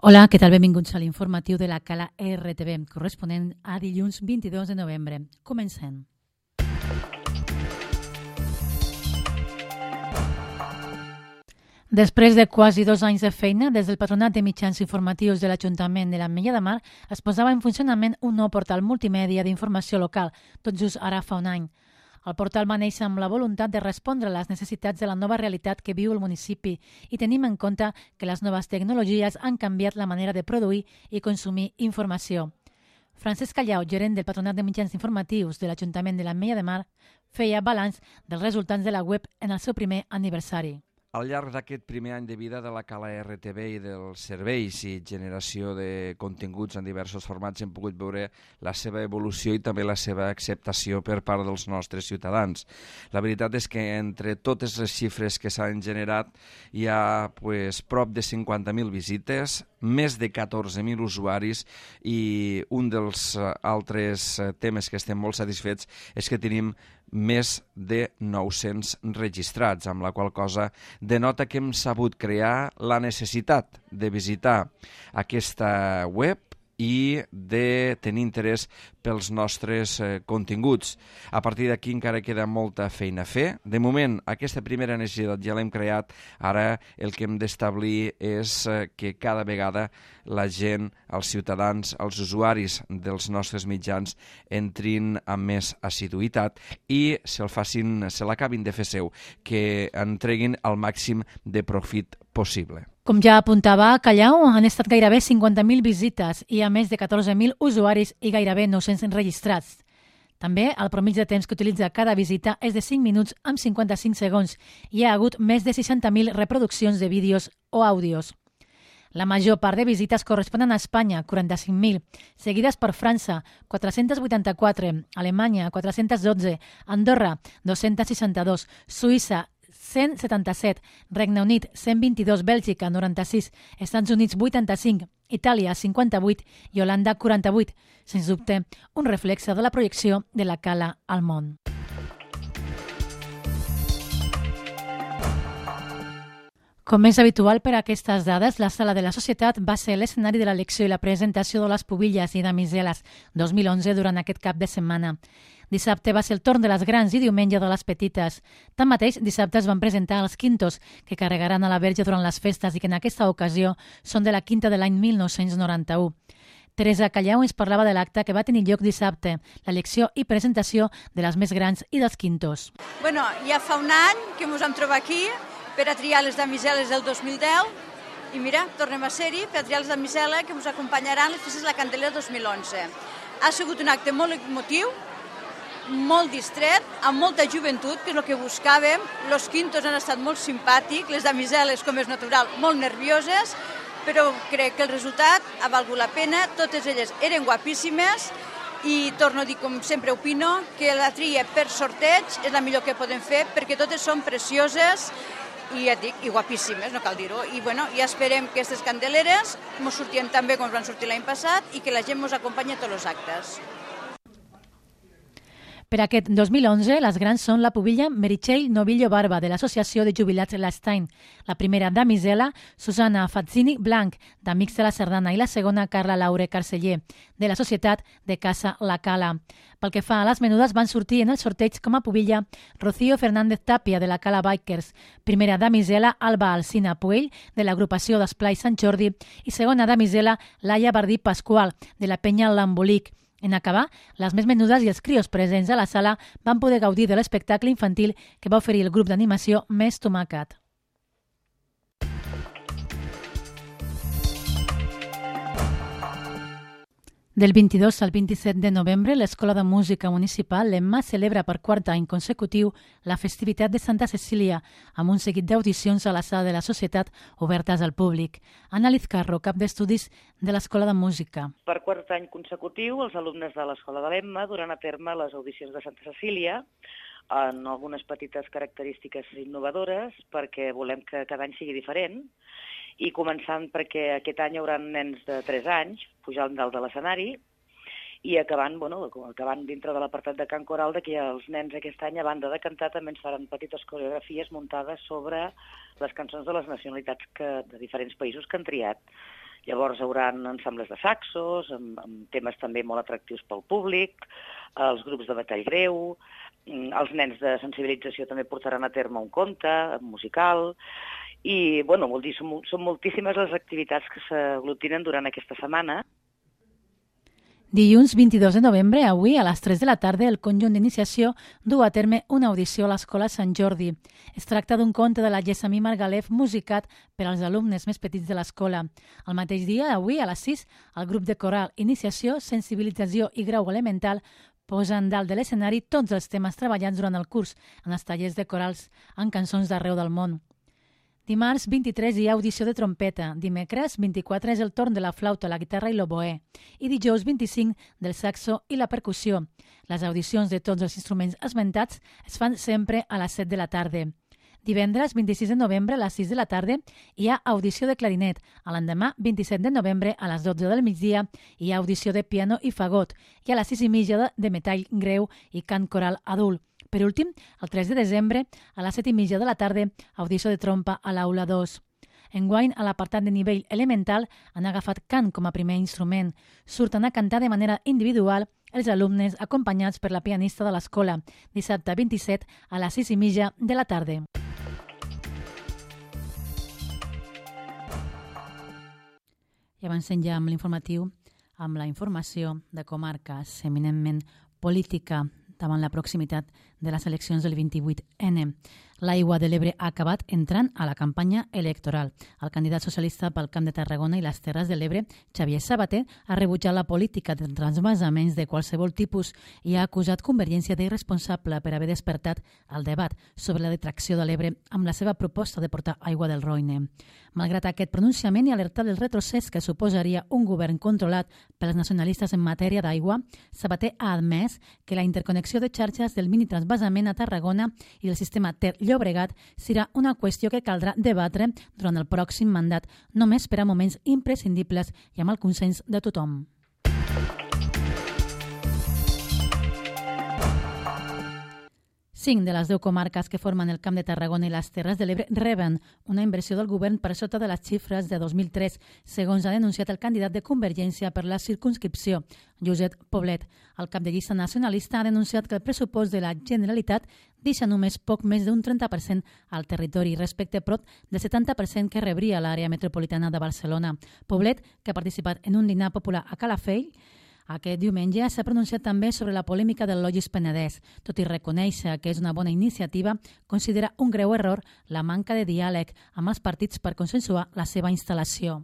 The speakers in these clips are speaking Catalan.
Hola, què tal? Benvinguts a l'informatiu de la Cala RTV, corresponent a dilluns 22 de novembre. Comencem. Després de quasi 2 anys de feina, des del Patronat de Mitjans Informatius de l'Ajuntament de l'Ametlla de Mar es posava en funcionament un nou portal multimèdia d'informació local, tot just ara fa un any. El portal va néixer amb la voluntat de respondre a les necessitats de la nova realitat que viu el municipi i tenim en compte que les noves tecnologies han canviat la manera de produir i consumir informació. Francesc Callau, gerent del Patronat de Mitjans Informatius de l'Ajuntament de l'Ametlla de Mar, feia balanç dels resultats de la web en el seu primer aniversari. Al llarg d'aquest primer any de vida de la Cala RTV i dels serveis i generació de continguts en diversos formats hem pogut veure la seva evolució i també la seva acceptació per part dels nostres ciutadans. La veritat és que entre totes les xifres que s'han generat hi ha prop de 50.000 visites, més de 14.000 usuaris i un dels altres temes que estem molt satisfets és que tenim més de 900 registrats, amb la qual cosa denota que hem sabut crear la necessitat de visitar aquesta web i de tenir interès pels nostres continguts. A partir d'aquí encara queda molta feina a fer. De moment, aquesta primera necessitat ja l'hem creat. Ara el que hem d'establir és que cada vegada la gent, els ciutadans, els usuaris dels nostres mitjans entrin amb més assiduïtat i se l'acabin de fer seu, que en treguin el màxim de profit possible. Com ja apuntava Callau, han estat gairebé 50.000 visites i a més de 14.000 usuaris i gairebé 900 registrats. També el promig de temps que utilitza cada visita és de 5 minuts amb 55 segons i hi ha hagut més de 60.000 reproduccions de vídeos o àudios. La major part de visites corresponen a Espanya, 45.000, seguides per França, 484, Alemanya, 412, Andorra, 262, Suïssa, 177, Regne Unit, 122, Bèlgica, 96, Estats Units, 85, Itàlia, 58 i Holanda, 48. Sens dubte, un reflexe de la projecció de la Cala al món. Com és habitual per a aquestes dades, la Sala de la Societat va ser l'escenari de l'elecció i la presentació de les pubilles i damiseles 2011 durant aquest cap de setmana. Dissabte va ser el torn de les grans i diumenge de les petites. Tanmateix, dissabte es van presentar els quintos, que carregaran a la Verge durant les festes i que en aquesta ocasió són de la quinta de l'any 1991. Teresa Callau ens parlava de l'acte que va tenir lloc dissabte, l'elecció i presentació de les més grans i dels quintos. Ja fa un any que ens vam trobar aquí per a triar les damiseles del 2010 i mira, tornem a ser-hi per a triar les damiseles que ens acompanyaran les festes de la Candelera 2011. Ha sigut un acte molt emotiu, molt distret, amb molta joventut, que és el que buscàvem. Los quintos han estat molt simpàtics, les damiseles, com és natural, molt nervioses, però crec que el resultat ha valgut la pena. Totes elles eren guapíssimes i torno a dir, com sempre opino, que la tria per sorteig és la millor que podem fer perquè totes són precioses i ja et dic, i guapíssimes, no cal dir-ho. I ja esperem que aquestes candeleres ens sortien tan bé com van sortir l'any passat i que la gent ens acompanyi a tots els actes. Per aquest 2011, les grans són la pubilla Meritxell Novillo Barba, de l'Associació de Jubilats L'Estein, la primera damisela Susana Fazzini Blanc, d'Amics de la Sardana, i la segona Carla Laure Carceller, de la Societat de Casa La Cala. Pel que fa a les menudes, van sortir en el sorteig com a pubilla Rocío Fernández Tapia, de la Cala Bikers, primera damisela Alba Alsina Puell, de l'agrupació d'Esplai Sant Jordi, i segona damisela Laia Bardí Pasqual, de la Penya L'Embolic. En acabar, les més menudes i els crios presents a la sala van poder gaudir de l'espectacle infantil que va oferir el grup d'animació Més Tomàquet. Del 22 al 27 de novembre, l'Escola de Música Municipal, l'EMMA, celebra per quart any consecutiu la festivitat de Santa Cecília, amb un seguit d'audicions a la Sala de la Societat obertes al públic. Ana Lizcarro, cap d'estudis de l'Escola de Música. Per quart any consecutiu, els alumnes de l'Escola de l'EMMA duran a terme les audicions de Santa Cecília, en algunes petites característiques innovadores, perquè volem que cada any sigui diferent, i començant perquè aquest any hi haurà nens de 3 anys pujant dalt de l'escenari i acabant dintre de l'apartat de cant coral, que els nens aquest any, a banda de cantar, també ens faran petites coreografies muntades sobre les cançons de les nacionalitats de diferents països que han triat. Llavors hi haurà ensembles de saxos, amb temes també molt atractius pel públic, els grups de batall greu, els nens de sensibilització també portaran a terme un conte musical, i vol dir, són moltíssimes les activitats que s'aglutinen durant aquesta setmana. Dilluns 22 de novembre, avui, a les 3 de la tarda, el conjunt d'iniciació du a terme una audició a l'Escola Sant Jordi. Es tracta d'un conte de la Gessamí Margalef musicat per als alumnes més petits de l'escola. El mateix dia, avui, a les 6, el grup de coral Iniciació, Sensibilització i Grau Elemental posen dalt de l'escenari tots els temes treballats durant el curs en els tallers de corals en cançons d'arreu del món. Dimarts 23 hi ha audició de trompeta, dimecres 24 és el torn de la flauta, la guitarra i l'oboè, i dijous 25 del saxo i la percussió. Les audicions de tots els instruments esmentats es fan sempre a les 7 de la tarda. Divendres 26 de novembre a les 6 de la tarda hi ha audició de clarinet. A l'endemà, 27 de novembre a les 12 del migdia hi ha audició de piano i fagot i a les 6:30 de metall greu i cant coral adult. Per últim, el 3 de desembre, a les 7:30 de la tarda, audició de trompa a l'aula 2. Enguany, a l'apartat de nivell elemental, han agafat cant com a primer instrument. Surten a cantar de manera individual els alumnes acompanyats per la pianista de l'escola, dissabte 27 a les 6:30 de la tarda. I avancem ja amb l'informatiu, amb la informació de comarques eminentment política davant la proximitat de les eleccions del 28N. L'Aigua de l'Ebre ha acabat entrant a la campanya electoral. El candidat socialista pel Camp de Tarragona i les Terres de l'Ebre, Xavier Sabater, ha rebutjat la política de transvasaments de qualsevol tipus i ha acusat Convergència d'irresponsable per haver despertat el debat sobre la detracció de l'Ebre amb la seva proposta de portar aigua del Roine. Malgrat aquest pronunciament i alertar del retrocés que suposaria un govern controlat pels nacionalistes en matèria d'aigua, Sabater ha admès que la interconnexió de xarxes del mini-transvasament a Tarragona i del sistema Ter-Llobregat serà una qüestió que caldrà debatre durant el pròxim mandat, només per a moments imprescindibles i amb el consens de tothom. Cinc de les 10 comarques que formen el Camp de Tarragona i les Terres de l'Ebre reben una inversió del govern per sota de les xifres de 2003, segons ha denunciat el candidat de Convergència per la circumscripció, Josep Poblet. El cap de llista nacionalista ha denunciat que el pressupost de la Generalitat deixa només poc més d'un 30% al territori respecte prop del 70% que rebria l'àrea metropolitana de Barcelona. Poblet, que ha participat en un dinar popular a Calafell, aquest diumenge s'ha pronunciat també sobre la polèmica del Logis Penedès. Tot i reconèixer que és una bona iniciativa, considera un greu error la manca de diàleg amb els partits per consensuar la seva instal·lació.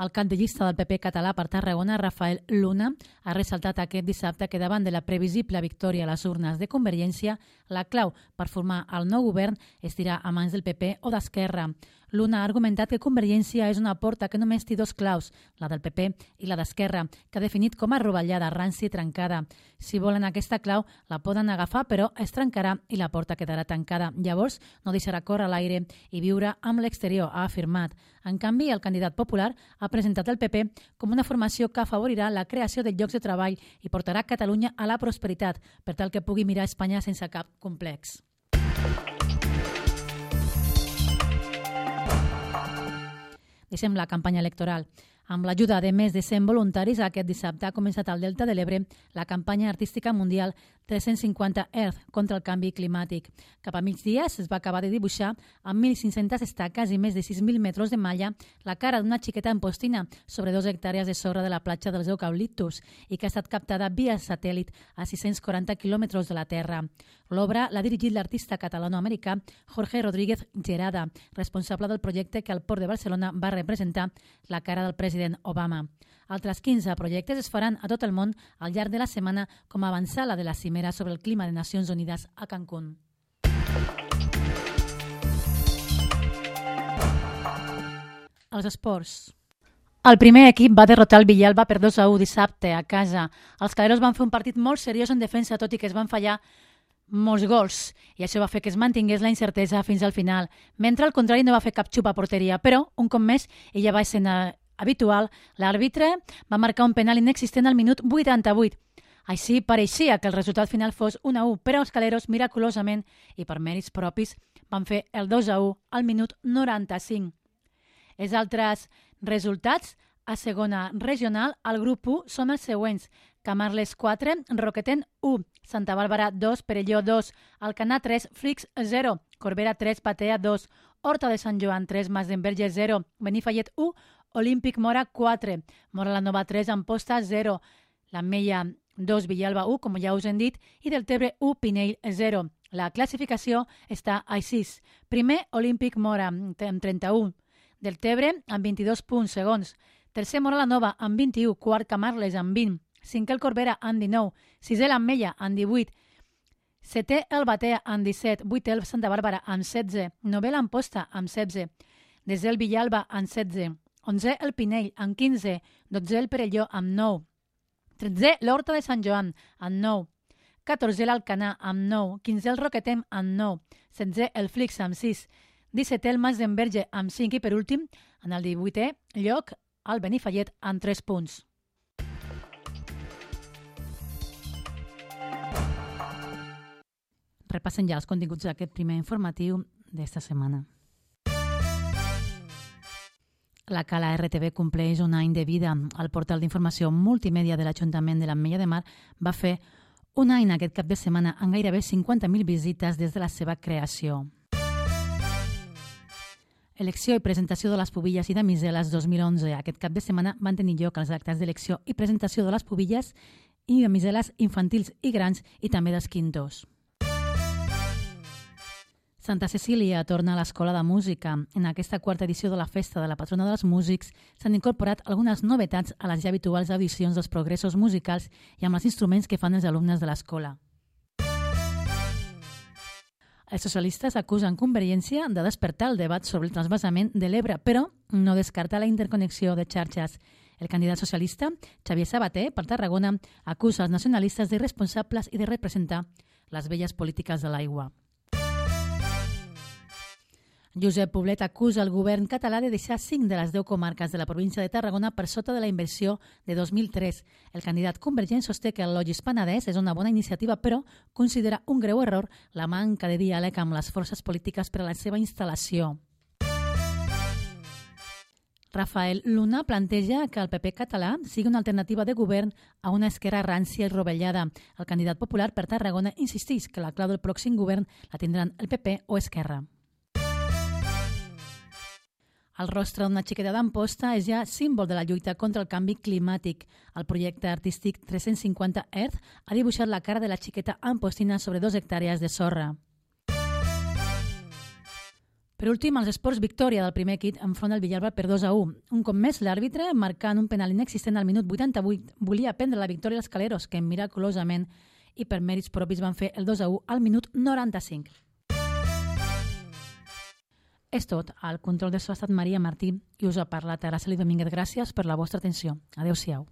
El cap de llista del PP català per Tarragona, Rafael Luna, ha ressaltat aquest dissabte que davant de la previsible victòria a les urnes de Convergència, la clau per formar el nou govern es dirà a mans del PP o d'Esquerra. Luna ha argumentat que Convergència és una porta que només té dos claus, la del PP i la d'Esquerra, que ha definit com a rovellada, rància i trencada. Si volen aquesta clau, la poden agafar, però es trencarà i la porta quedarà tancada. Llavors, no deixarà córrer l'aire i viure amb l'exterior, ha afirmat. En canvi, el candidat popular ha presentat el PP com una formació que afavorirà la creació de llocs de treball i portarà Catalunya a la prosperitat, per tal que pugui mirar Espanya sense cap complex. Deixem la campanya electoral. Amb l'ajuda de més de 100 voluntaris, aquest dissabte ha començat al Delta de l'Ebre la campanya artística mundial 350 Earth contra el canvi climàtic. Cap a migdia es va acabar de dibuixar amb 1.500 estaques i més de 6.000 metres de malla la cara d'una xiqueta empostina sobre 2 hectàrees de sorra de la platja dels eucaliptus i que ha estat captada via satèl·lit a 640 quilòmetres de la Terra. L'obra l'ha dirigit l'artista catalano-americà Jorge Rodríguez Gerada, responsable del projecte que al Port de Barcelona va representar la cara del president Obama. Altres 15 projectes es faran a tot el món al llarg de la setmana com a avançala de la cimera sobre el clima de Nacions Unides a Cancún. Els esports. El primer equip va derrotar el Villalba per 2-1 dissabte a casa. Els caleros van fer un partit molt seriós en defensa, tot i que es van fallar molts gols, i això va fer que es mantingués la incertesa fins al final, mentre al contrari no va fer cap xup a porteria, però, un cop més, i ja va ser habitual, l'àrbitre va marcar un penal inexistent al minut 88. Així pareixia que el resultat final fos 1-1, però els caleros, miraculosament i per mèrits propis, van fer el 2-1 al minut 95. Els altres resultats a segona regional al grup 1 són els següents: Camarles 4, Roqueten 1, Santa Bàrbara 2, Perelló 2, Alcanar 3, Flix 0, Corbera 3, Batea 2, Horta de Sant Joan 3, Masdenverge 0, Benifallet 1, Olímpic Mora 4, Mora la Nova 3, Amposta 0, l'Ametlla 2, Villalba 1, com ja us hem dit, i Deltebre 1, Pinell 0. La classificació està així. Primer, Olímpic Mora, amb 31. Deltebre, amb 22 punts, segons. Tercer, Mora la Nova, amb 21. Quart, Camarles, amb 20. Cinquè, el Corbera, amb 19. Sisè, l'Ametlla, amb 18. Setè, el Batea, amb 17. Vuitè, el Santa Bàrbara, amb 16. Novè, l'Amposta, amb 16. Desè, el Villalba, amb 16. 11è, el Pinell, amb 15. 12è, el Perelló, amb 9. 13è, l'Horta de Sant Joan, amb 9. 14è, l'Alcanar, amb 9. 15è, el Roquetem, amb 9. 16è, el Flix, amb 6. 17è, el Masdenverge, amb 5. I per últim, en el 18è lloc, el Benifallet, amb 3 punts. Repassen ja els continguts d'aquest primer informatiu d'esta setmana. La Cala RTV compleix un any de vida. El portal d'informació multimèdia de l'Ajuntament de l'Ametlla de Mar va fer un any aquest cap de setmana amb gairebé 50.000 visites des de la seva creació. Elecció i presentació de les pubilles i damiseles 2011. Aquest cap de setmana van tenir lloc els actes d'elecció i presentació de les pubilles i damiseles infantils i grans i també dels quintors. Santa Cecília torna a l'Escola de Música. En aquesta quarta edició de la Festa de la Patrona dels Músics s'han incorporat algunes novetats a les ja habituals audicions dels progressos musicals i amb els instruments que fan els alumnes de l'escola. Els socialistes acusen Convergència de despertar el debat sobre el transvasament de l'Ebre, però no descarta la interconnexió de xarxes. El candidat socialista, Xavier Sabater, per Tarragona, acusa els nacionalistes d'irresponsables i de representar les velles polítiques de l'aigua. Josep Poblet acusa el govern català de deixar 5 de les 10 comarques de la província de Tarragona per sota de la inversió de 2003. El candidat convergent sosté que el Logis Penedès és una bona iniciativa, però considera un greu error la manca de diàleg amb les forces polítiques per a la seva instal·lació. Rafael Luna planteja que el PP català sigui una alternativa de govern a una esquerra rància i rovellada. El candidat popular per Tarragona insisteix que la clau del pròxim govern la tindran el PP o Esquerra. El rostre d'una xiqueta d'Amposta és ja símbol de la lluita contra el canvi climàtic. El projecte artístic 350 Earth ha dibuixat la cara de la xiqueta ampostina sobre 2 hectàrees de sorra. Per últim, els esports victòria del primer equip enfront del Villalba per 2-1. Un cop més, l'àrbitre, marcant un penal inexistent al minut 88, volia prendre la victòria als caleros, que miraculosament i per mèrits propis van fer el 2-1 al minut 95. És tot. Al control de so ha estat Maria Martí i us ha parlat Araceli Domínguez. Gràcies per la vostra atenció. Adéu-siau.